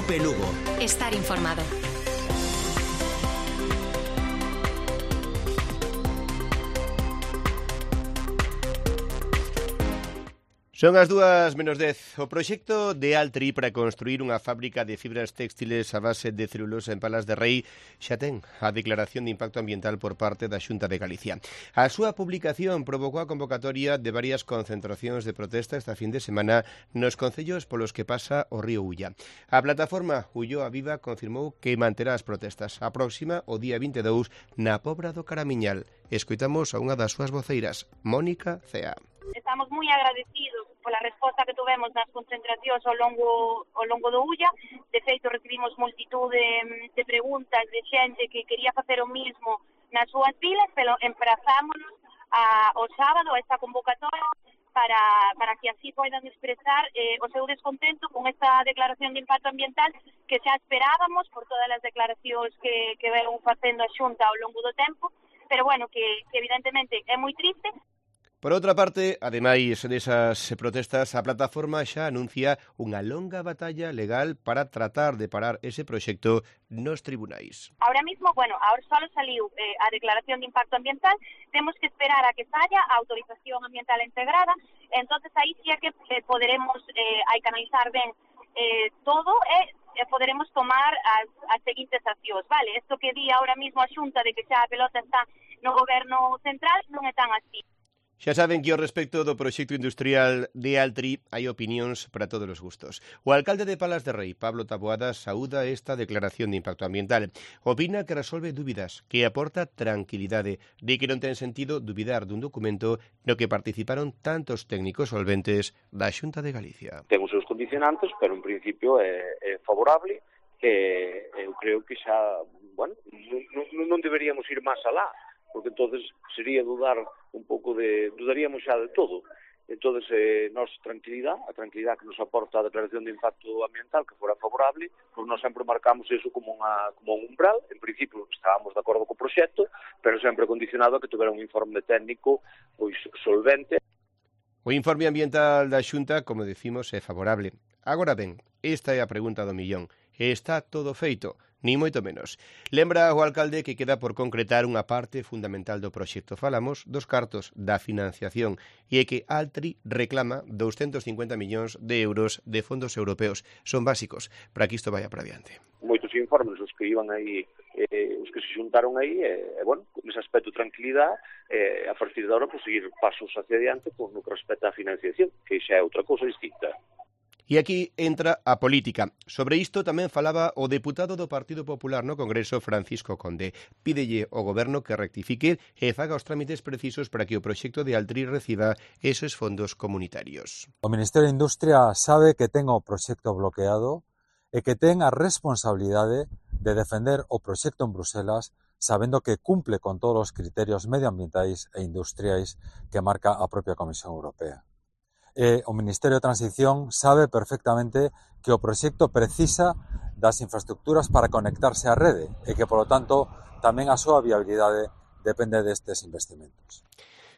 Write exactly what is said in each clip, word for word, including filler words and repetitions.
Cope Lugo. Estar informado. Son as dúas menos dez. O proxecto de Altri para construir unha fábrica de fibras textiles a base de celulosa en Palas de Rei xa ten a declaración de impacto ambiental por parte da Xunta de Galicia. A súa publicación provocou a convocatoria de varias concentracións de protesta esta fin de semana nos concellos polos que pasa o río Ulla. A plataforma Ulloa Viva confirmou que manterá as protestas. A próxima, o día vinte e dous, na Pobra do Caramiñal. Escoitamos a unha das súas voceiras, Mónica Cea. Estamos moi agradecidos pola resposta que tuvemos nas concentracións ao longo ao longo do Ulla. De feito, recibimos multitud de, de preguntas de xente que quería facer o mismo nas súas vilas, pero emprazámonos a, o sábado a esta convocatoria para, para que así poidan expresar eh, o seu descontento con esta declaración de impacto ambiental que xa esperábamos por todas as declaracións que, que veron facendo a Xunta ao longo do tempo, pero bueno, que, que evidentemente é moi triste. Por outra parte, ademais desas protestas, a plataforma xa anuncia unha longa batalla legal para tratar de parar ese proxecto nos tribunais. Ahora mismo, bueno, ahora só saliu eh, a declaración de impacto ambiental, temos que esperar a que saia a autorización ambiental integrada, entonces aí sí é que eh, poderemos eh, hai que analizar ben eh, todo e eh, poderemos tomar as, as seguintes accións, vale? Isto que di ahora mismo a Xunta de que xa a pelota está no goberno central non é tan así. Xa saben que ao respecto do proxecto industrial de Altri hai opinións para todos os gustos. O alcalde de Palas de Rei, Pablo Taboada, saúda esta declaración de impacto ambiental. Opina que resolve dúbidas, que aporta tranquilidade, de que non ten sentido dubidar dun documento no que participaron tantos técnicos solventes da Xunta de Galicia. Ten os seus condicionantes, pero en principio é, é favorable, e eu creo que xa, bueno, non, non deberíamos ir máis alá, porque entonces sería dudar un pouco de, dudaríamos xa de todo. Entonces, eh, nos tranquilidade, a tranquilidade que nos aporta a declaración de impacto ambiental que fora favorable, pois nós sempre marcamos eso como, unha, como un umbral. En principio estábamos de acordo co proxecto, pero sempre condicionado a que tuvera un informe técnico pois solvente. O informe ambiental da Xunta, como decimos, é favorable. Agora ben, esta é a pregunta do millón. Está todo feito? Ni moito menos. Lembra o alcalde que queda por concretar unha parte fundamental do proxecto. Falamos dos cartos da financiación e é que Altri reclama doscientos cincuenta millóns de euros de fondos europeos. Son básicos para que isto vaya para adiante. Moitos informes os que iban aí, eh, os que se xuntaron aí, e eh, bueno, nese aspecto tranquilidade, eh, a partir de agora, pues, seguir pasos hacia adiante con no que respecta a financiación, que xa é outra cousa distinta. E aquí entra a política. Sobre isto tamén falaba o deputado do Partido Popular no Congreso, Francisco Conde. Pídelle ao Goberno que rectifique e faga os trámites precisos para que o proxecto de Altri reciba esos fondos comunitarios. O Ministerio de Industria sabe que ten o proxecto bloqueado e que ten a responsabilidade de defender o proxecto en Bruselas sabendo que cumple con todos os criterios medioambientais e industriais que marca a propia Comisión Europea. E o Ministerio de Transición sabe perfectamente que o proxecto precisa das infraestructuras para conectarse á rede e que, polo tanto, tamén a súa viabilidade depende destes investimentos.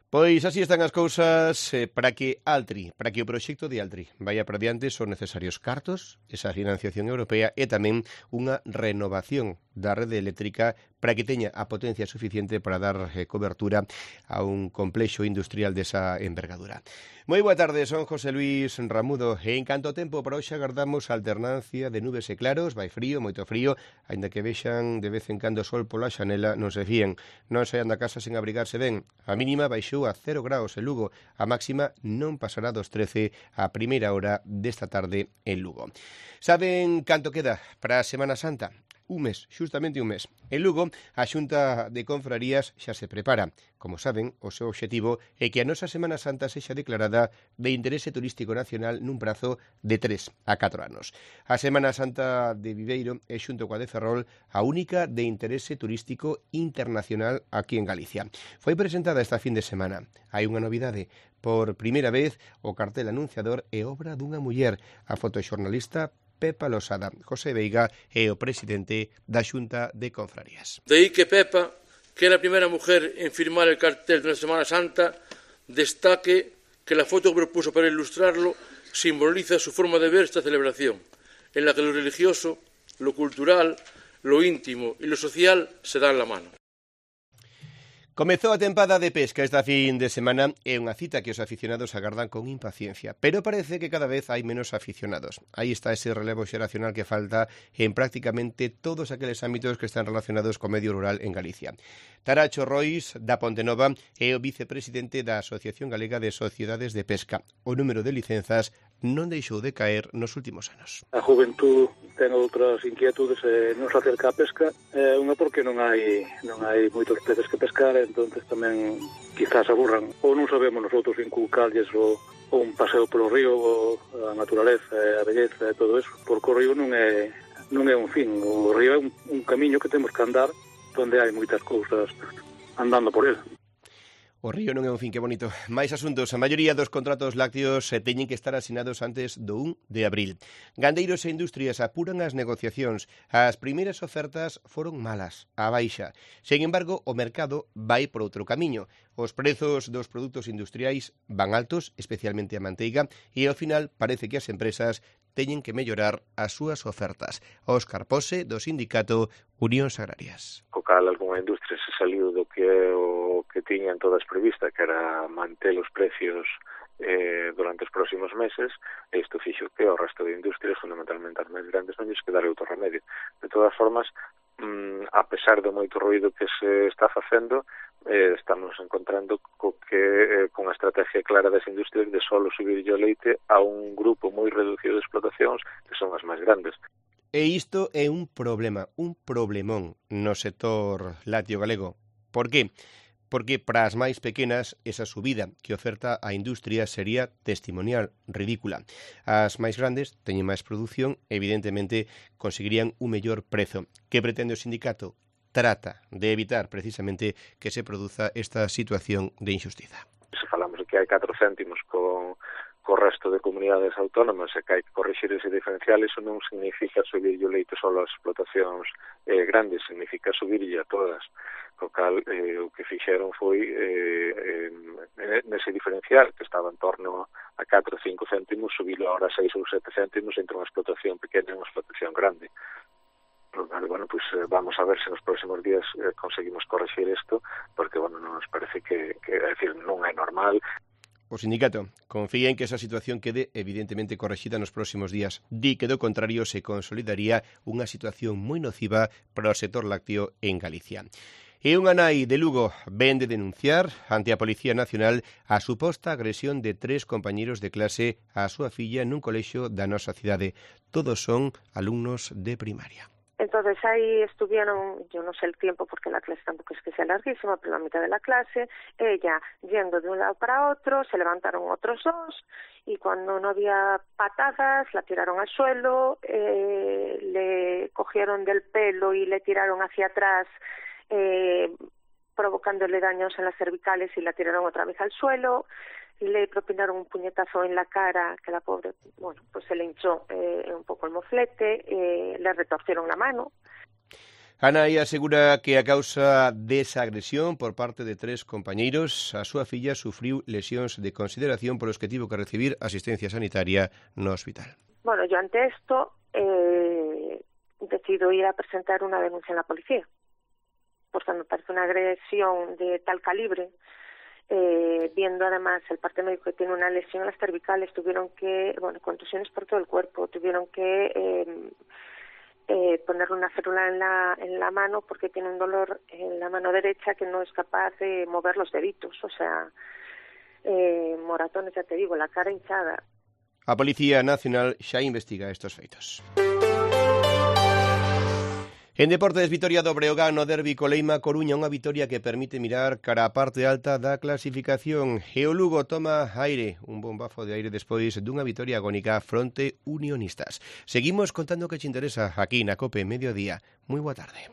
Pois así están as cousas. eh, para que Altri, para que o proxecto de Altri vaya para diante son necesarios cartos, esa financiación europea e tamén unha renovación da rede eléctrica para que teña a potencia suficiente para dar eh, cobertura a un complexo industrial desa envergadura. Moi boa tarde, son José Luis Ramudo e en canto tempo para hoxe agardamos alternancia de nubes e claros, vai frío, moito frío, aínda que vexan de vez en cando sol pola xanela, non se fíen, non saian da casa sen abrigarse ben. A mínima baixou a cero graus en Lugo, a máxima non pasará dos trece a primeira hora desta tarde en Lugo. Saben canto queda para a Semana Santa? Un mes, xustamente un mes. En Lugo, a Xunta de Confrarías xa se prepara. Como saben, o seu obxectivo é que a nosa Semana Santa sexa declarada de interese turístico nacional nun prazo de tres a catro anos. A Semana Santa de Viveiro é, xunto coa de Ferrol, a única de interese turístico internacional aquí en Galicia. Foi presentada esta fin de semana. Hai unha novidade. Por primeira vez, o cartel anunciador é obra dunha muller, a fotoxornalista Pepa Losada. José Veiga é o presidente da Xunta de Confrarías. De aí que Pepa, que é a primeira mujer en firmar el cartel de la Semana Santa, destaque que la foto que propuso para ilustrarlo simboliza su forma de ver esta celebración. en la que lo religioso, lo cultural, lo íntimo y lo social se dan la mano. Comezou a tempada de pesca esta fin de semana e unha cita que os aficionados agardan con impaciencia, pero parece que cada vez hai menos aficionados. Aí está ese relevo xeracional que falta en prácticamente todos aqueles ámbitos que están relacionados co medio rural en Galicia. Taracho Rois, da Pontenova, é o vicepresidente da Asociación Galega de Sociedades de Pesca. O número de licenzas non deixou de caer nos últimos anos. A juventud ten outras inquietudes e non se acerca a pesca, é unha porque non hai non hai moitos peces que pescar, entonces tamén quizás aburran, ou non sabemos nosotros inculcarlles o, o un paseo polo río, o a naturaleza, a belleza e todo eso, porque o río non é non é un fin, o río é un, un camiño que temos que andar onde hai moitas cousas andando por ele. O río non é un fin, que bonito. Mais asuntos. A maioría dos contratos lácteos eh, teñen que estar asinados antes do un de abril. Gandeiros e industrias apuran as negociacións. As primeiras ofertas foron malas, a baixa. Sen embargo, o mercado vai por outro camiño. Os prezos dos produtos industriais van altos, especialmente a manteiga, e ao final parece que as empresas teñen que mellorar as súas ofertas. Óscar Pose, do sindicato Unións Agrarias. Co cal, algunha industria se saliu do que é o que tiñan todas prevista, que era manter os precios eh, durante os próximos meses, e isto fixo que o resto de industrias, fundamentalmente as máis grandes, non lles quedara outro remedio. De todas formas, mm, a pesar do moito ruído que se está facendo, eh, estamos encontrando co que eh, con a estrategia clara das industrias de solo subir o leite a un grupo moi reducido de explotacións que son as máis grandes. E isto é un problema, un problemón no sector lácteo galego. Por que? Porque para as máis pequenas esa subida que oferta a industria sería testimonial, ridícula. As máis grandes teñen máis produción, evidentemente conseguirían un mellor prezo. Que pretende o sindicato? Trata de evitar precisamente que se produza esta situación de injustiza. Se falamos de que hai catro céntimos con co resto de comunidades autónomas e que hai que corrixir ese diferencial, isso non significa subir o leite só ás explotacións eh, grandes, significa subirlle a todas. Co cal, eh, o que fixeron foi eh, eh, nese diferencial, que estaba en torno a catro ou cinco céntimos, subilo ahora a seis ou sete céntimos entre unha explotación pequena e unha explotación grande. Bueno, pues eh, vamos a ver se nos próximos días eh, conseguimos corregir isto, porque, bueno, non nos parece que, que é decir, non é normal. O sindicato confía en que esa situación quede evidentemente correxida nos próximos días. Di que do contrario se consolidaría unha situación moi nociva para o sector lácteo en Galicia. E unha nai de Lugo ven de denunciar ante a Policía Nacional a suposta agresión de tres compañeros de clase á súa filla nun colexio da nosa cidade. Todos son alumnos de primaria. Entonces ahí estuvieron, yo no sé el tiempo porque la clase tampoco es que sea larguísima, pero la mitad de la clase, ella yendo de un lado para otro, se levantaron otros dos y cuando no había patadas la tiraron al suelo, eh, le cogieron del pelo y le tiraron hacia atrás, eh, provocándole daños en las cervicales y la tiraron otra vez al suelo. Le propinaron un puñetazo en la cara, que la pobre, bueno, pues se le hinchó eh, un poco el moflete, eh, le retorcieron la mano. Ana aí asegura que a causa desa agresión por parte de tres compañeiros, a súa filla sufriu lesións de consideración polos que tivo que recibir asistencia sanitaria no hospital. Bueno, yo ante esto eh, decido ir a presentar una denuncia en la policía, porque me parece una agresión de tal calibre. Eh, viendo además el parte médico que tiene una lesión en las cervicales, tuvieron que, bueno, contusiones por todo el cuerpo, tuvieron que eh, eh, ponerle una férula en la, en la mano porque tiene un dolor en la mano derecha que no es capaz de mover los deditos, o sea, eh, moratones, ya te digo, la cara hinchada. A Policía Nacional xa investiga estos feitos. En deportes, vitoria do Breogán no derbi Coleima Coruña, unha vitoria que permite mirar cara a parte alta da clasificación. E o Lugo toma aire, un bombafo de aire despois dunha vitoria agónica fronte Unionistas. Seguimos contando que te interesa aquí na COPE Mediodía. Moi boa tarde.